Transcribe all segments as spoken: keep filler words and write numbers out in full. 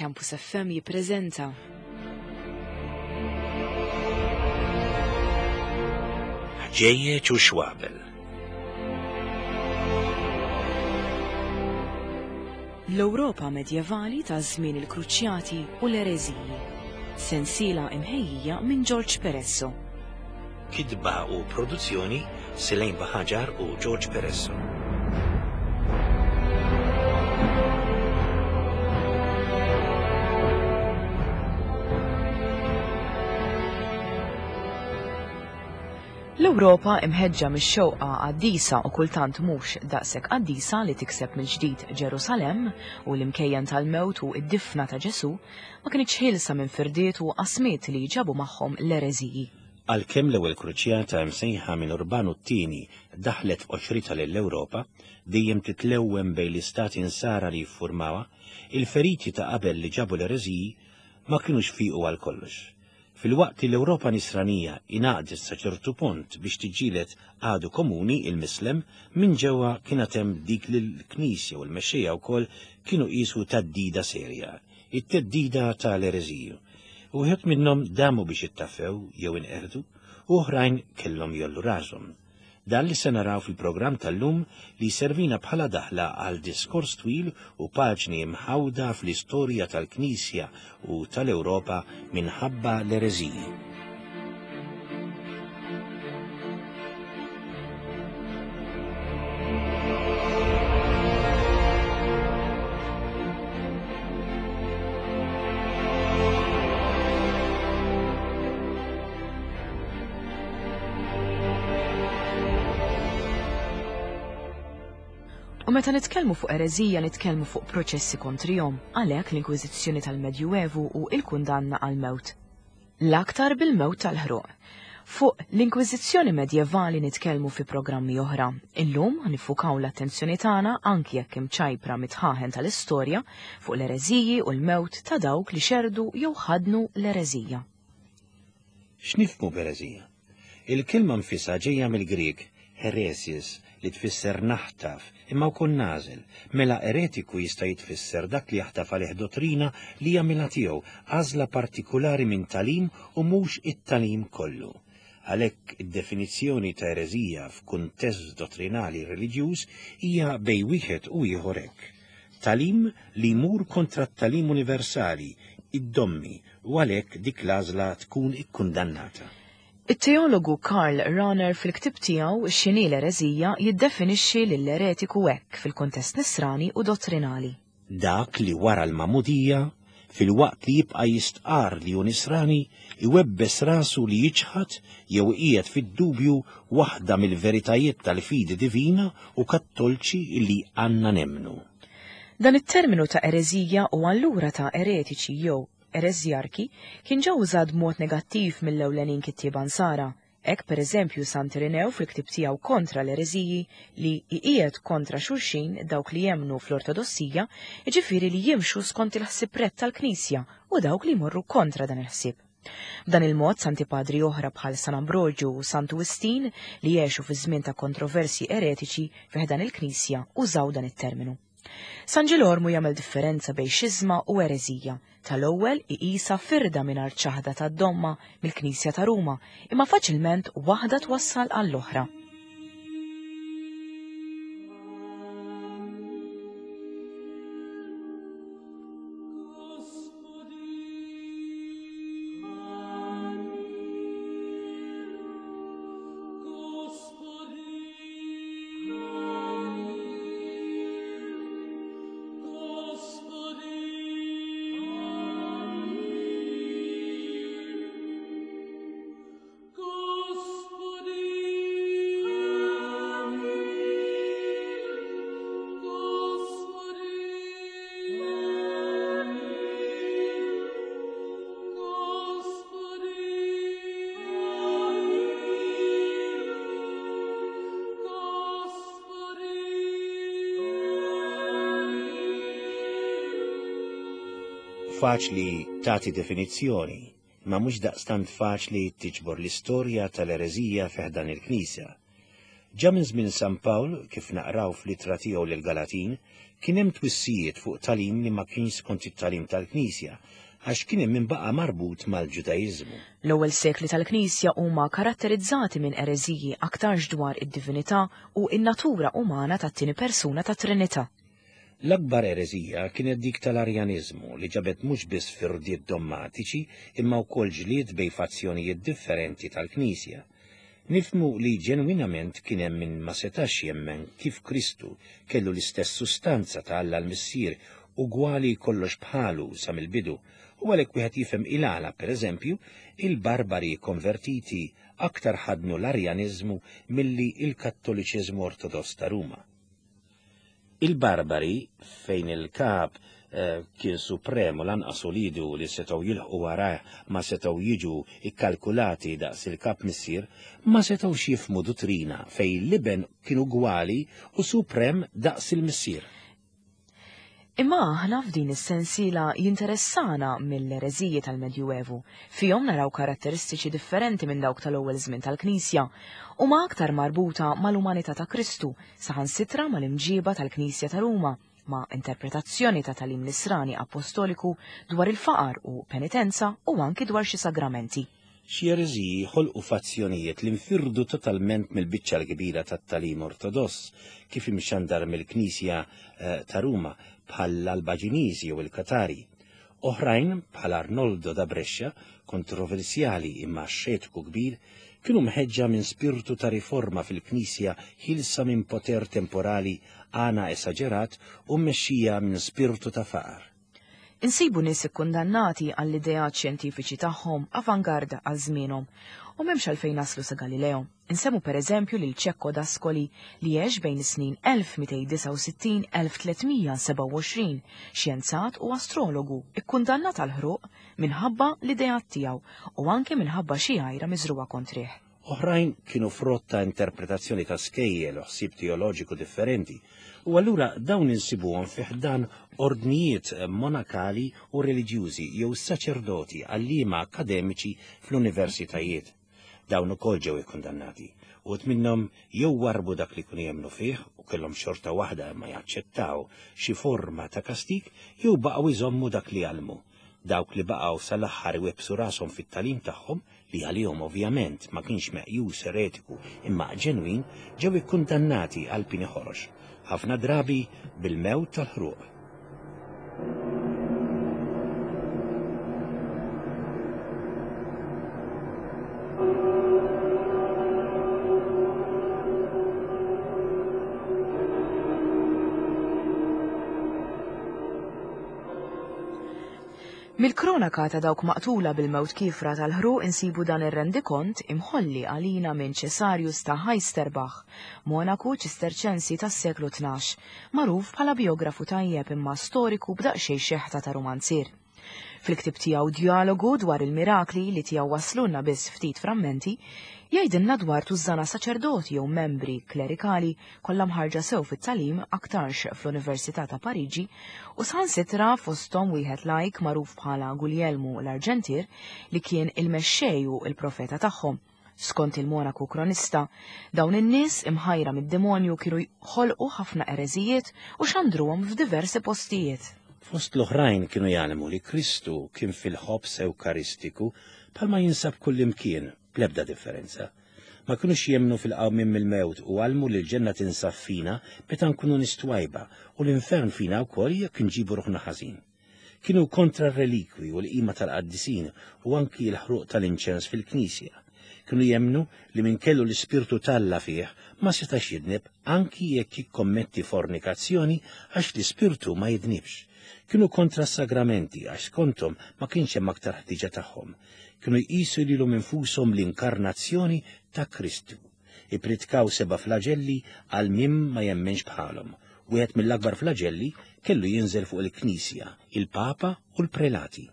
Campus F M jippreżenta Ħġejjeġ u Xwabel. L-Ewropa medjevali ta' żmien il-Kruċjati u l-Ereżiji. Sensiela imħejjija minn George Peresso. Kitba u produzzjoni Selene Baħaġar u George Peresso. L-Ewropa imħeġġa mix-xewqa qaddisa u kultant mhux daqshekk qaddisa li tikseb mill-ġdid Ġerusalemm u l-imkejjen tal-mewt u d-difna ta' Ġesu ma kinitx ħielsa minn firdiet u qasmiet li ġabu magħhom l-ereżiji. Għalkemm l-ewwel kruċjata msejħa minn Urbanu t-tieni daħlet f'qoxrita lill-Ewropa, dejjem titlewwem bejn l-istati insara li jiffurmawha, il-feriti ta' qabel li ġabu l-ereżiji ma kinux fiqu għal kollox. Fil-waqt li l-Ewropa nisranija ingħaqdet sa ċertu punt biex tiġġieled għadu komuni il-Mislem, minn ġewwa kien hemm dik li l-Knisja u l-mexxejja wkoll kienu qisu theddida serja, it-theddida tal-ereżiju. Wieħed minnhom damu biex ittaffew jew inqerdu, u oħrajn kellhom jollu rashom. Dan li se naraw fil-programm tal-lum li servina bħala daħla għal diskors twil u paġni mħawda fl-istorja tal-Knisja u tal-Ewropa minħabba l-ereżiji. U meta nitkellmu fuq ereżija nitkellmu fuq proċessi kontrihom, għalhekk l-Inkwiżizzjoni tal-Medjuevu u l-kundanna għall-mewt. L-aktar bil-mewt tal-ħruq. Fuq l-Inkwiżizzjoni medjevali nitkellmu fi programmi oħra. Illum nifukaw l-attenzjoni tagħna anki jekk imċajpra mitħaħen tal-istorja fuq l-ereżiji u l-mewt ta' dawk li xerdu jew ħadnu l-ereżija. X'nifhmu b'ereżija? Il-kelma nfisha ġejja mill-Grieg heresis, li tfisser naħtaf, imma wkoll nażel. Mela eretiku jista' jitfisser dak li jaħtaf għalih dottrina li jagħmilha tiegħu, għażla partikulari minn talim u mhux it-talim kollu. Għalhekk id-definizzjoni ta' ereżija f'kuntest dottrinali reliġjuż hija bejn wieħed u ieħor hekk. Talim li jmur kontra t-talim universali, id-dommi, u għalhekk dik l-għażla tkun ikkundannata. It-teologu Karl Rahner fil-ktib tiegħu X'inhi l-ereżija jiddefinixxi lill-eretiku hekk fil-kuntest nisrani u dottrinali. Dak li wara l-magħmudija, fil-waqt li jibqa' jistqar li hu nisrani, iwebbes rasu li jiċħad jew qiegħed fid-dubju waħda mill-veritajiet tal-fidi divina u kattolċi li għandna nemmnu. Dan it-terminu ta' ereżija u allura ta' eretiċi jew ereżjarki kien ġew użat b'mod negattiv mill-ewlenin kittieba Nsara. Hekk pereżempju Sant Irinew fil-ktib tiegħu kontra l-ereżiji li iqiegħed kontra xulxin dawk li jemmnu fl-Ortodossija, jiġifieri li jimxu skont il-ħsieb rett tal-Knisja u dawk li jmorru kontra dan il-ħsieb. B'dan il-mod Santi Padri oħra bħal San Ambroġu u Santu Wistin li għexu fi żmien ta' kontroversi eretiċi fi ħdan il-Knisja użaw dan it-terminu. San Ġilormu jagħmel differenza bejn xiżma u ereżija. Tal-ewwel iqisha firda mingħajr ċaħda tad-domma mill-Knisja ta' Ruma, imma faċilment waħda twassal għall-oħra. Faċli tagħti definizzjoni, ma mhux daqstant faċli tiġbor l-istorja tal-ereżija fi ħdan il-Knisja. Ġa minn żmien San Pawl, kif naqraw fl-ittra tiegħu lill-Galatin, kien hemm twissijiet fuq tagħlim li ma kienx skont it-tagħlim tal-Knisja, għax kien hemm min baqa' marbut mal-Ġudaiżmu. L-ewwel sekli tal-Knisja huma karatterizzati minn ereżiji aktarx dwar id-divinità u n-natura umana tat-tieni persuna tat-Trinità. L-akbar ereżija kienet dik tal-Arjaniżmu li ġabet mhux biss firdiet dommatiċi imma wkoll ġlied bejn fazzjonijiet differenti tal-Knisja. Nifhmu li ġenwinament kien hemm min ma setax jemmen kif Kristu kellu l-istess sustanza ta' Alla l-Missier ugwali kollox bħalu sa mill-bidu, u għalhekk wieħed jifhem il-għala, pereżempju, il-barbari konvertiti aktar ħadnu l-Arjaniżmu milli il-Kattoliċiżmu Ortodoss ta' Ruma. Il-barbari, fejn il-kap eh, kien supremu lanqas ulidu li setgħu jilħqu warajh ma setgħu jiġu ikkalkulati daqs il-kap missier, ma setgħux jifhmu duttrina fejn l-iben kien ugwali u suprem daqs il-missier. Imma aħna f'din is-sensiela jinteressana mill-ereżiji tal-Medjuevu. Fihom naraw karatteristiċi differenti minn dawk tal-ewwel żmien tal-Knisja u ma aktar marbuta mal-umanità ta' Kristu, saħansitra mal-imġiba tal-Knisja ta' Ruma, ma' interpretazzjoni ta' tagħlim nisrani apostoliku dwar il-faqar u penitenza u anki dwar xi sagramenti. Xi ereżiji ħolqu fazzjonijiet li nfirdu totalment mill-biċċa l-kbira tat-tagħlim ortodoss kif imxandar mill-Knisja eh, ta' Ruma bħall-Albaġiniżi jew il-Katari. Oħrajn bħal Arnoldo da Brescia, kontroversjali imma xetku kbir, kienu mħeġġa minn spirtu ta' riforma fil-Knisja ħilsa minn poter temporali għana esaġerat u mmexxija minn spirtu ta' faqar. Insibu nies ikkundannati għall-ideat xjentifiċi tagħhom avangarda għal żmienhom u m'hemmx għalfejn naslu sa Galileo. Insemmu pereżempju lil Cecco d'Ascoli li għex bejn is-snin elf mitejn disgħa u sittin elf tlietmija sebgħa u għoxrin, xjenzat u astrologu ikkundannat għal ħruq minħabba l-ideat tiegħu u anke minħabba xi għajra miżruha kontrih. Oħrajn kienu frott ta' interpretazzjoni ta' skejjel u ħsieb teoloġiku differenti, u allura dawn insibuhom fi ħdan ordnijiet monakali u reliġjużi jew saċerdoti għalliema akademiċi fl-universitajiet. Dawn ukoll ġew ikkundannati, u minnhom jew warbu dak li kienu jemmnu fih u kellhom xorta waħda ma jaċċettaw xi forma ta' kastik, jew baqgħu jżommu dak li għallmu. Dawk li baqgħu sal-aħħar iwebbsu rashom fit-tagħlim tagħhom, li għalihom ovvjament ma kienx meqjus eretiku imma ġenwin, ġew ikkundannati għal pieni ħorox, ħafna drabi bil-mewt tal-ħruq. Mill-kronaka ta' dawk maqtula bil-mewt kifra tal-ħruq insibu dan ir-rendikont imħolli għalina minn Cesarius ta' Heisterbach, monaku ċisterċensi tas-seklu tnax, magħruf bħala biografu tajjeb imma storiku b'daqsxejn xeħta ta' romanzier. Fil-ktib tiegħu Dialogu dwar il-mirakli li tiegħu waslulna biss ftit frammenti, jgħidilna dwar tużżana saċerdoti jew membri klerikali kollha mħarġa sew fit-tagħlim aktarx fl-Università ta' Pariġi u saħansitra fosthom wieħed lajk magħruf bħala Guglielmu l-Arġentier li kien il-mexxej u l-profeta tagħhom. Skont il-monaku kronista, dawn in-nies imħajra mid-demonju kienu jħolqu ħafna ereżijiet u xandruhom f'diversi postijiet. Fost l-oħrajn kienu jgħallmu li Kristu kien fil-ħobż ewkaristiku bħalma jinsab kullimkien, bl-ebda differenza. Ma kinux jemmnu fil-qawmien mill-mewt u għallmu li l-ġenna tinsab fina meta nkunu nistwajba u l-infern fina wkoll jekk nġibu ruħna ħażin. Kienu kontra r-relikwi u l-qima tal-qaddisin u anki l-ħruq tal-inċens fil-knisja. Kienu jemmnu li min kellu l-ispirtu t'Alla fih ma setax jidneb anki jekk jikkommetti fornikazzjoni għax l-ispirtu ma jidnibx. Kienu kontra s-sagramenti għax skontom ma kienx hemm aktar ħtiġa tagħhom. Kienu jqisu lilhom infushom l-inkarnazzjoni ta' Kristu. Ippritkaw seba' flagelli għal min ma jemmenx bħalhom. Wieħed mill-akbar flagelli kellu jinżel fuq il-Knisja, il-Papa u l-Prelati.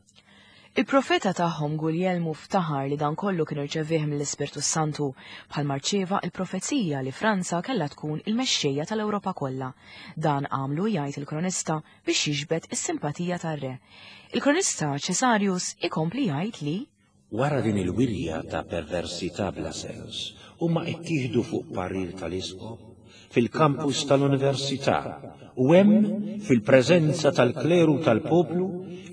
Il-profeta tagħhom Guglielmu ftaħar li dan kollu kien irċevih mill-Ispirtu Santu bħal marċieva il-profezija li Franza kellha tkun il-mexxejja tal-Ewropa kollha. Dan għamlu, jgħid il-kronista, biex jiġbed is-simpatija tar-re. Il-kronista Cesarius ikompli jgħid li Wara din il-wirja ta' perversità bla sens, huma ttieħdu fuq parir tal-isqof fil-kampus tal-università u hemm, fil-preżenza tal-kleru tal-poplu,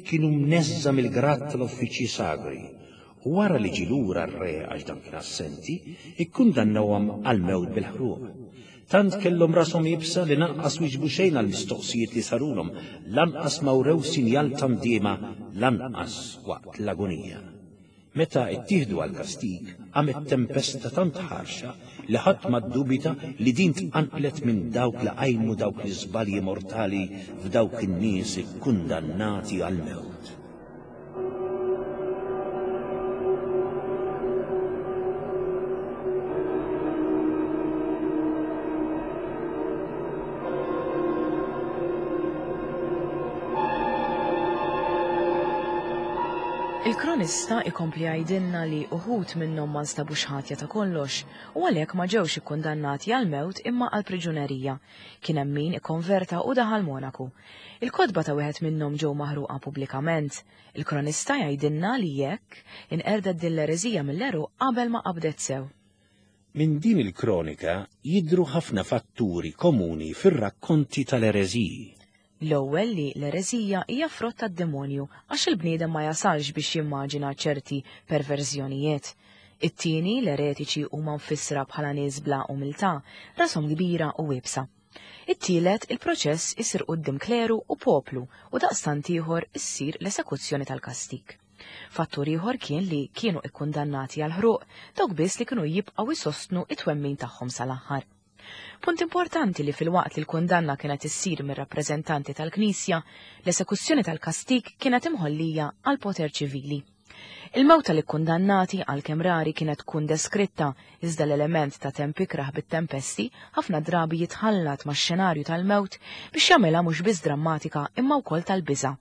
kienu mneżża mill-grad tal-uffiċċji sagri. U wara li ġie lura r-re għax dan kien assenti, ikkundannawhom għall-mewt bil-ħruq. Tant kellhom rashom iebsa li lanqas wieġbu xejn għall-mistoqsijiet li sarulhom, lanqas ma wrew sinjal ta' ndiema, lanqas waqt l-agonija. Meta ttieħdu għall-kastig, qamet tempesta tant ħarxa li ħadd ma ddubita li din tqanqlet minn dawk li qajmu dawk l-iżbalji mortali f'dawk in-nies ikkundannati għall-mewt. Il-kronista ikompli jgħidilna li uħud minnhom ma nstabux ħatja ta' kollox u għalhekk ma ġewx ikkundannati għall-mewt imma għall-priġunerija. Kien hemm min ikkonverta u daħal Monaku. Il-kotba ta' wieħed minnhom ġew maħruqa pubblikament. Il-kronista jgħidilna li jekk inqerdet din l-ereżija mill-għeruq qabel ma qabdet sew. Minn din il-kronika jidhru ħafna fatturi komuni fir-rakkonti tal-ereżiji. L-ewwel li l-ereżija hija frott tad-demonju għax il-bniedem ma jasalx biex jimmaġina ċerti perverżjonijiet. It-tieni, l-eretiċi huma mfissra bħala nies bla umiltà, rashom kbira u iebsa. It-tielet, il-proċess isir quddiem kleru u poplu u daqstant ieħor issir l-esekuzzjoni tal-kastig. Fattur ieħor kien li kienu ikkundannati għal ħruq dawk biss li kienu jibqgħu jsostnu it-twemmin tagħhom sal-aħħar. Punt importanti li fil-waqt li l-kundanna kienet issir mir-rappreżentanti tal-Knisja, l-esekuzzjoni tal-kastig kienet imħollija għal poter ċivili. Il-mewt tal-ikkundannati għalkemm rari kienet tkun deskritta, iżda l-element ta' temp ikrah bit-tempesti ħafna drabi jitħallat max-xenarju tal-mewt biex jagħmilha mhux biss drammatika imma wkoll tal-biża'.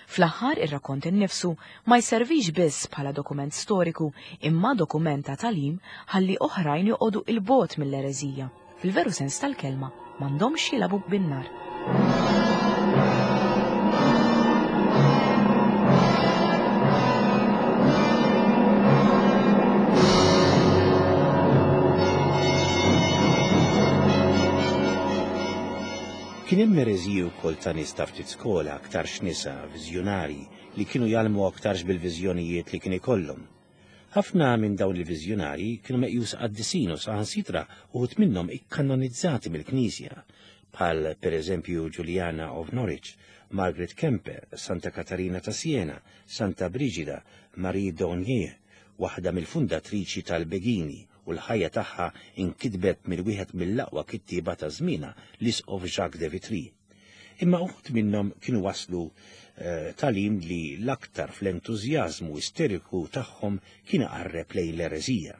Fl-aħħar ir-rakkont innifsu ma jservix biss bħala dokument storiku imma dokument ta' tagħlim ħalli oħrajn joqogħdu il-bogħod mill-ereżija. Fil-veru sens tal-kelma m'għandhomx jilagħbu bin-nar. Kien hemm ereżiji wkoll ta' nies ta' ftit skola, aktarx nisa, viżjonarji, li kienu jgħallmu aktarx bil-viżjonijiet li kien ikollhom. Ħafna minn dawn il-viżjonarji kienu meqjusa qaddisin u saħansitra uħud minnhom ikkanonizzati mill-Knisja, bħal pereżempju Juliana of Norwich, Margaret Kemper, Santa Katarina ta' Siena, Santa Brigida, Marie Dornier, waħda mill-fundatriċi tal-Begini, u l-ħajja tagħha inkitbet mill-wieħed mill-aqwa kittieba ta' żmienha, l-Isqof Jacques de Vitry. Imma uħud minnhom kienu waslu tagħlim li l-aktar fl-entużjażmu isteriku tagħhom kien iqarreb lejn l-ereżija,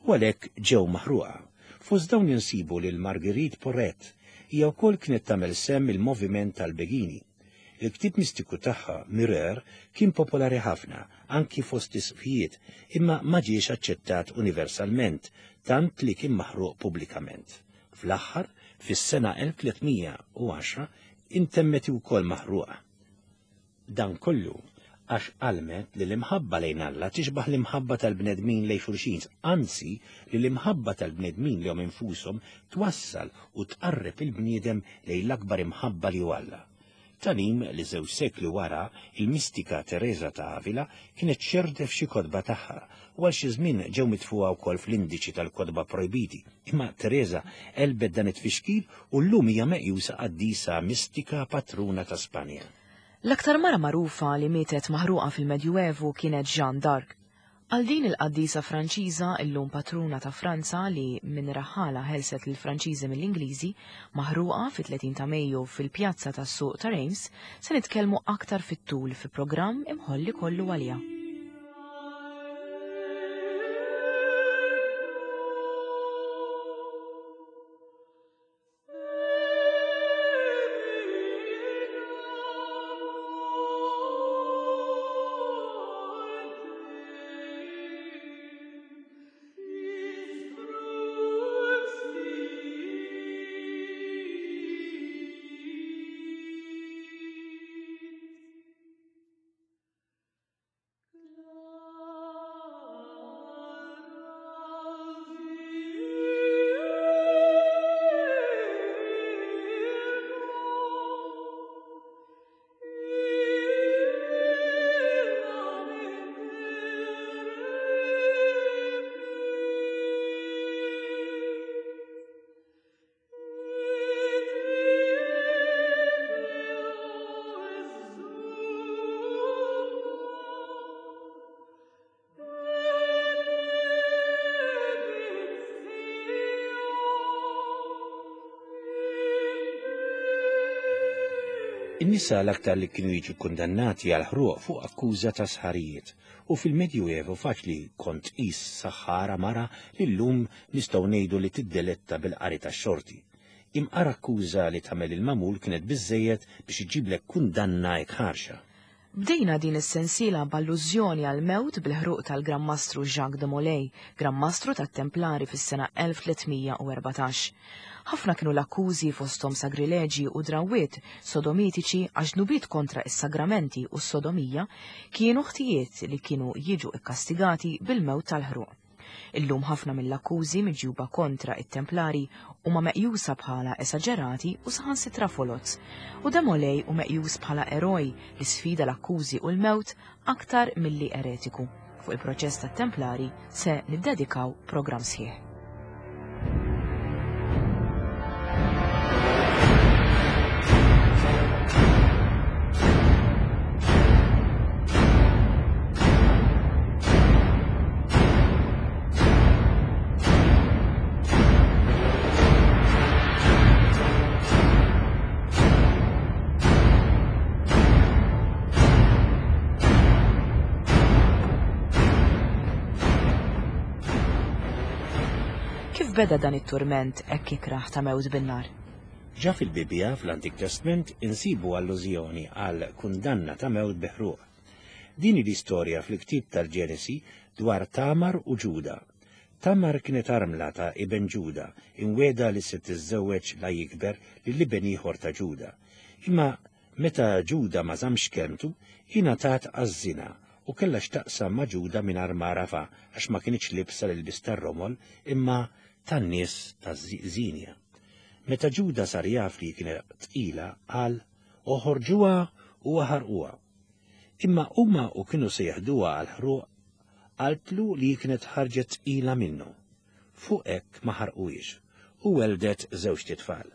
u għalhekk ġew maħruqa. Fost dawn insibu lil Marguerite Porret, hija wkoll kienet tagħmel sehem il-moviment tal-Begini. Il-ktib mistiku tagħha, Mirror, kien popolari ħafna, anki fost isqfijiet, imma ma ġiex aċċettat universalment, tant li kien maħruq pubblikament. Fl-aħħar, fis-sena elf tliet mija u għaxra, intemmet ukoll maħruqa. Dan kollu għax għalmet li l-imħabba lejn Alla tixbaħ l-imħabba tal-bnedmin lejn xulxin, anzi li l-imħabba tal-bnedmin lejhom infushom twassal u tqarreb il-bniedem lejn l-akbar imħabba li hu Alla. Tagħlim li żewġ sekli wara il-mistika Teresa ta' Avila kienet xerdet f'xi kotba tagħha u għal xi żmien ġew mitfuha wkoll fl-indiċi tal-kotba projbiti. Imma Teresa għelbet dan it-tfixkil u llum hija meqjusa qaddisa mistika patruna ta' Spanja. L-aktar mara magħrufa li mietet maħruqa fil-Medjuevu kienet Jeanne d'Arc. Għal din il-qaddisa Franċiża, illum patruna ta' Franza li minn raħala ħelset lill-Franċiżi mill-Ingliżi, maħruqa fit-tletin ta' Mejju fil-pjazza tas-suq ta' Reims, se nitkellmu aktar fit-tul fi programm imħolli kollu għaliha. In-nisa l-aktar li kienu jiġu kundannati għal ħruq fuq akkuża ta' sħarijiet, u fil-Medjuevu faċli kont tqis saħħara mara li llum nistgħu ngħidu li tiddeletta bil-qari tax-xorti. Imqar akkuża li tagħmel il-magħmul kienet biżżejjed biex iġiblek kundanna hekk ħarxa. Bdejna din is-sensiela b'allużjoni għal mewt bil-ħruq tal-Gran Mastru Jacques de Molay, Gran Mastru tat-Templari fis-sena elf tliet mija u erbatax. Ħafna kienu l-akkużi fosthom sagrileġi u drawwiet sodomitiċi għax dnubiet kontra is-sagramenti u s-sodomija kienu ħtijiet li kienu jiġu ikkastigati bil-mewt tal-ħruq. Illum ħafna mill-akkużi miġjuba kontra it-Templari huma meqjusa bħala esaġerati u saħansitra foloz, u de Molay hu meqjus bħala eroj li sfida l-akkużi u l-mewt aktar milli eretiku. Fuq il-proċess tat-Templari se niddedikaw programm sħiħ. Kif beda dan it-turment hekk ikrah ta' mewt bin-nar? Ġa fil-Bibbja fl-Antik Testament insibu allużjoni għal kundanna ta' mewt bi ħruq. Din l-istorja fil-ktieb tal-Ġenesi dwar Tamar u Ġuda. Tamar kienet armla ta' iben Ġuda, imwiegħda li se tiżżewweġ la jikber lil iben ieħor ta' Ġuda. Imma meta Ġuda ma żammx kelmtu, ingħatat għaż-żina u kellha x'taqsam ma' Ġuda mingħajr ma għarafha għax ma kinitx libsa l-ilbies tar-romol imma tan-nies taż-żinja. Meta Ġuda sar jaf li kienet tqila, qal oħorġuha u aħarquha. Imma huma u kienu se jeħduha għal ħruq, qaltlu li kienet ħarġet tqila minnu. Fuq hekk ma ħarquhiex u weldet żewġt itfal.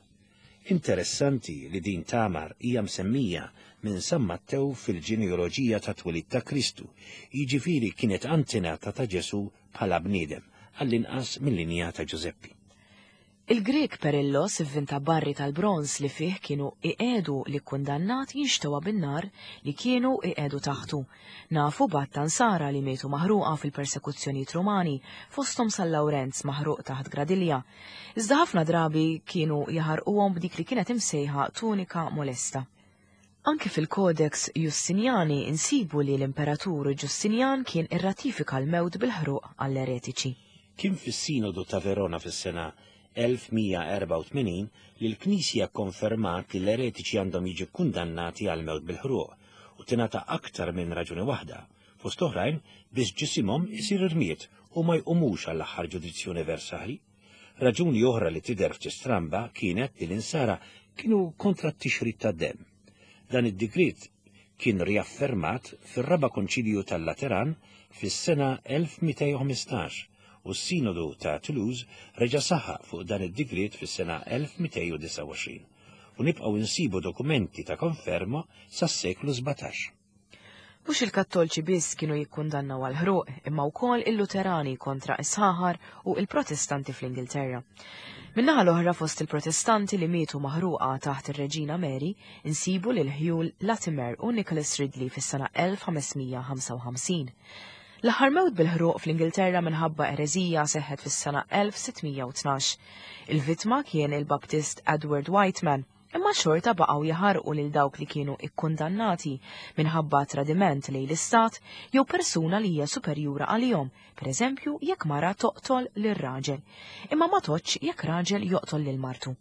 Interessanti li din Tamar hija msemmija minn San Mattew fil-ġenealoġija ta' twelid ta' Kristu, jiġifieri kienet antenata ta' Ġesu bħala bniedem, għall-inqas mill-linja ta' Ġużeppi. Il-Grek Perillos ivvinta barri tal-bronz li fih kienu iqedu li kundannat jinxtewa bin-nar li kienu iqedu taħtu. Nafu b'għadd Nsara li mietu maħruqa fil-persekuzzjonijiet Rumani, fosthom San Lawrenz maħruq taħt gradilja. Iżda ħafna drabi kienu jaħarquhom b'dik li kienet imsejħa tunika molesta. Anki fil-Codex Justiniani insibu li l-Imperatur Ġustinjan kien irratifika l-mewt bil-ħruq għall-eretiċi. Kien fis-Sinodu ta' Verona fis-sena elf mija erbgħa u tmenin li l-Knisja konfermat li l-eretiċi għandhom jiġu kundannati għal mewt bil-ħruq u tingħata aktar minn raġuni waħda, fost oħrajn biex ġisimhom isir irmiet u ma jqumux għall-aħħar ġudizzju universali. Raġuni oħra li tidher ftit stramba kienet li l-insara kienu kontra t-tixrid tad-demm. Dan id-digriet kien riaffermat fir-raba' konċilju tal-Lateran fis-sena elf mitejn u ħmistax u s-Sinodu ta' Toulouse reġa' saħaq fuq dan id-digriet fis-sena elf mitejn u disgħa u għoxrin u nibqgħu insibu dokumenti ta' konferma sas-seklu sbatax. Mhux il-Kattolċi biss kienu jikkundannaw għal ħruq, imma wkoll il-Luterani kontra is-Saħar u il-Protestanti fl-Ingilterra. Min-naħa l-oħra fost il-Protestanti li mietu maħruqa taħt ir-Reġina Mary insibu lil Hugh Latimer u Nicholas Ridley fis-sena elf ħames mija ħamsa u ħamsin. L-aħħar mewt bil-ħruq fl-Ingilterra minħabba ereżija seħħet fis-sena elf sitt mija u tnax. Il-vittma kien il-Baptist Edward Wightman, imma xorta baqgħu jaħarqu lil dawk li kienu ikkundannati minħabba tradiment lejn l-istat jew persuna li hija superjura għalihom, pereżempju jekk mara toqtol lil raġel, imma ma toqtx jekk raġel joqtol lil martu.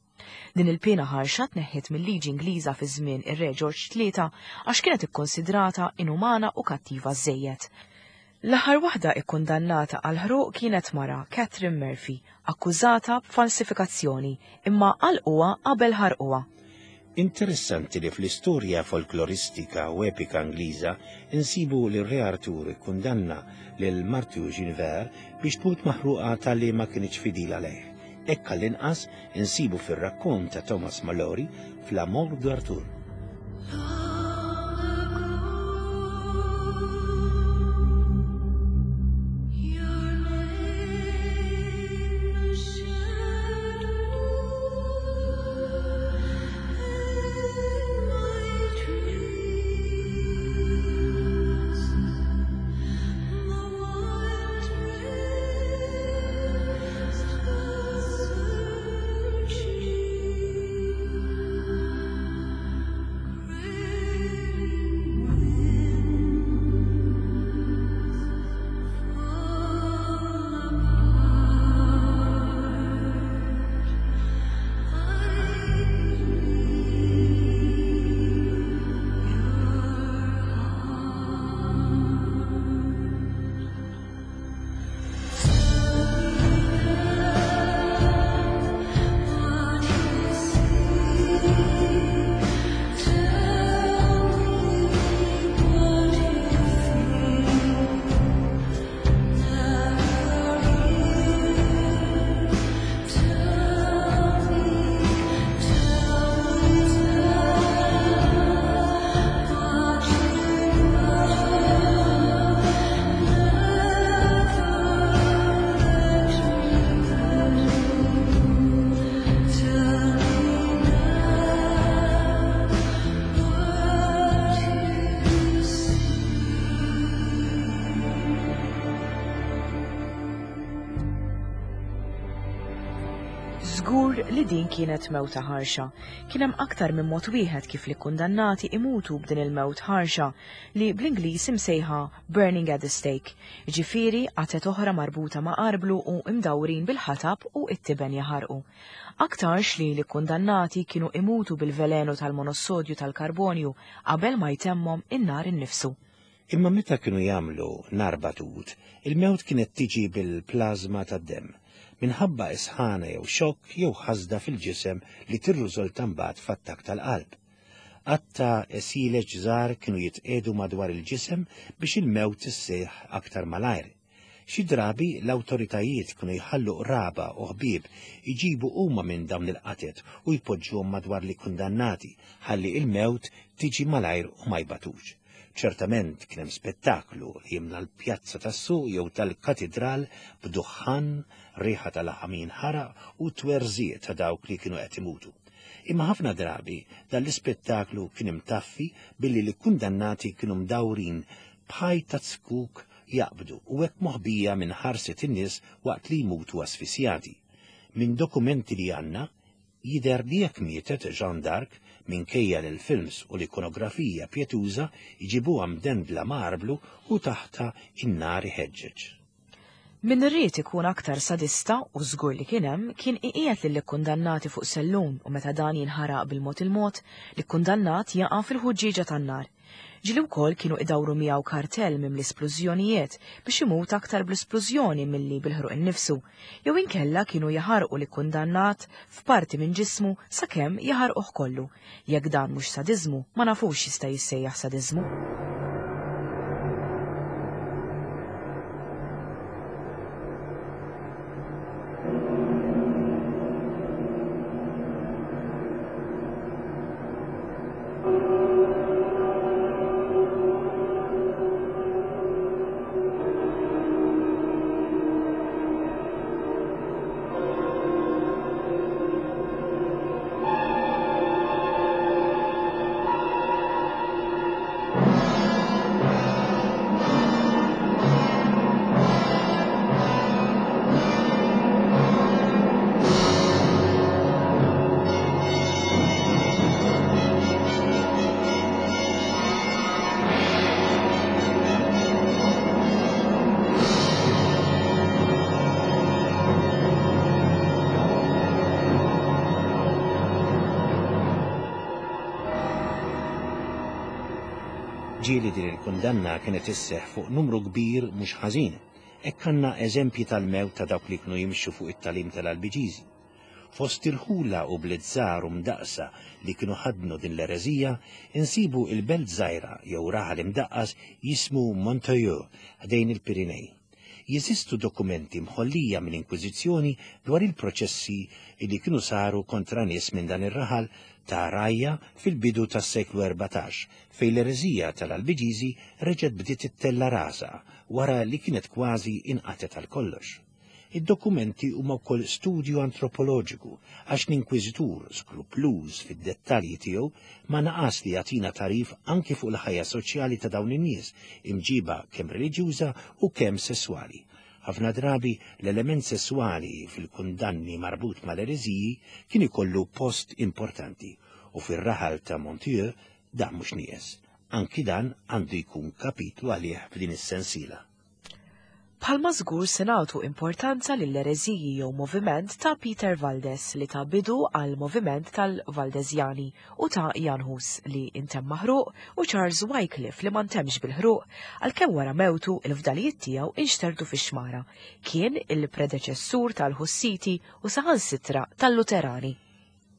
Din il-pena ħarxa tneħħiet mill-liġi Ingliża fi żmien ir-Re George tlieta għax kienet ikkonsidrata inumana u kattiva żejjed. L-aħħar waħda ikkundannata għal ħruq kienet mara Catherine Murphy, akkużata b'falsifikazzjoni, imma għalquha qabel ħarquha. Interessanti li fl-istorja folkloristika u epika Ingliża insibu li r-Re Artur ikkundanna lil martu Guinevere biex tmut maħruqa talli ma kinitx fidila lejh. Hekk għall-inqas insibu fir-rakkont ta' Thomas Malory f'La Mort d'Arthur. Żgur li din kienet mewta ħarxa. Kien hemm aktar minn mod wieħed kif l-ikkundannati imutu b'din il-mewt ħarxa li bl-Ingliż imsejħa burning at the stake. Ġifieri qatet oħra marbuta ma' arblu u imdawrin bil-ħatab u it-tiben jaħarqu. Aktarx li l-ikkundannati kienu imutu bil-velenu tal-monossodju tal-karbonju qabel ma jtemmhom in-nar innifsu. Imma meta kienu jagħmlu nar batut, il-mewt kienet tiġi bil-plażma tad-demm, minħabba isħana jew xokk jew ħasda fil-ġisem li tirriżulta mbagħad f'attakk tal-qalb. Qatta sileġ żgħar kienu jitqiegħdu madwar il-ġisem biex il-mewt isseħħ aktar malajr. Xi drabi l-awtoritajiet kienu jħallu qraba u ħbieb iġibu huma minn dawn il-qatet u jpoġġuhom madwar l-ikkundannati ħalli il-mewt tiġi malajr u ma jbatux. Ċertament kien hemm spettaklu li jimla l-pjazza tas-suq jew tal-katidral b'duħħan, riħa tal-laħam jinħaraq u twerżiq ta' dawk li kienu qed imutu. Imma ħafna drabi dan l-ispettaklu kien imtaffi billi l-kundannati kienu mdawrin b'ħajt ta' zkuk jaqbdu u hekk moħbija minn ħarset in-nies waqt li jmutu asfissjati. Minn dokumenti li għandna jidher li jekk mietet Jeanne d'Arc, minkejja li l-films u l-ikonografija pjetuża jġibuha mdendla ma' arblu u taħta in-nar iħeġġeġ. Min irrid ikun aktar sadista, u żgur li kien hemm, kien iqiegħed lill-ikkundannati fuq sellum u meta dan jinħaraq bil-mod il-mod, l-ikkundannat jaqa' fil-ħuġġieġa tan-nar. Ġieli wkoll kienu idawru miegħu kartell mimli splużjonijiet biex imut aktar bl-isplużjoni milli bil-ħruq innifsu, jew inkella kienu jaħarqu l-ikkundannat f'parti minn ġismu sakemm jaħarquh kollu. Jekk dan mhux sadiżmu, ma nafux jista' jissejjaħ sadiżmu. Ġieli din il-kundanna kienet isseħħ fuq numru kbir mhux ħażin. Hekk għandna eżempji tal-mewt ta' dawk li kienu jimxu fuq it-talim tal-Albiġiżi. Fost irħula u bliet żgħar u mdaqsa li kienu ħadnu din l-ereżija, insibu il-belt żgħira jew raħal imdaqqas jismu Montoyeux ħdejn il-Pirinej. Jeżistu dokumenti mħollija mill-Inkwiżizzjoni dwar il-proċessi li kienu saru kontra nies minn dan ir-raħal ta' rajja fil-bidu tas-seklu erbatax, fejn l-ereżija tal-Albiġiżi reġgħet bdiet ittella rasha wara li kienet kważi inqatet għal kollox. Id-dokumenti huma wkoll studju antropoloġiku għax l-Inkwiżitur skrupluż fid-dettalji tiegħu ma naqas li jagħtina tarif anki fuq il-ħajja soċjali ta' dawn in-nies, imġiba kemm reliġjuża u kemm sesswali. Ħafna drabi l-element sesswali fil-kundanni marbut mal-ereżiji kien ikollu post importanti u fir-raħal ta' Montieu dan mhux nieqes. Anki dan għandu jkun kapitlu għalih f'din is-sensiela. Bħalma żgur se nagħtu importanza lill-ereżiji jew moviment ta' Peter Valdes li ta' bidu għal moviment tal-Valdezjani u ta' Jan Hus li intemm maħruq u Charles Wycliffe li ma ntemx bil-ħruq għalkemm wara mewtu il-fdalijiet tiegħu inxterdu fix-xmara. Kien il-predeċessur tal-Hussiti u saħansitra tal-Luterani.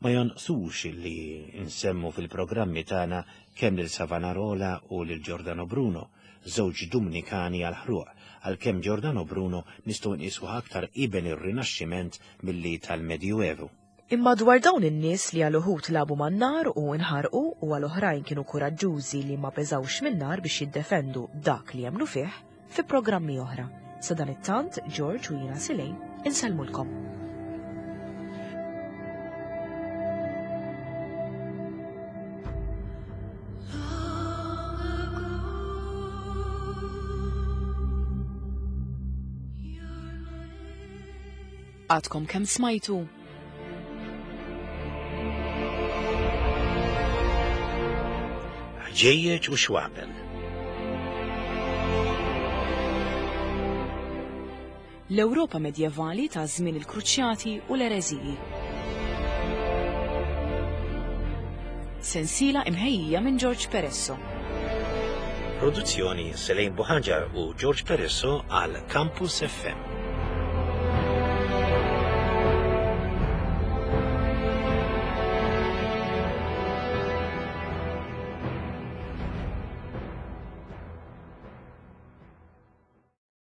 Ma jonqsux li nsemmu fil-programmi tagħna kemm lil Savonarola u lil Giordano Bruno, żewġ Dumnikani għal-ħruq, għalkemm Giordano Bruno nistgħu nqisuh aktar iben ir-Rinaxximent milli tal-Medjuevu. Imma dwar dawn in-nies li għal uħud labu man-nar u nħarqu u għal oħrajn kienu kuraġġużi li ma beżawx min-nar biex jiddefendu dak li jemmnu fih fi programmi oħra. Sa dan it-tant, George u jiena Silejn insellmulkom. Għadkom kemm smajtu Ħġejjeġ u xwabel. L-Ewropa medjevali ta' żmien il-Kruċjati u l-Ereżiji. Sensiela imħejjija minn George Peresso. Produzzjoni Selene Buhaġar u George Peresso għal Campus F M.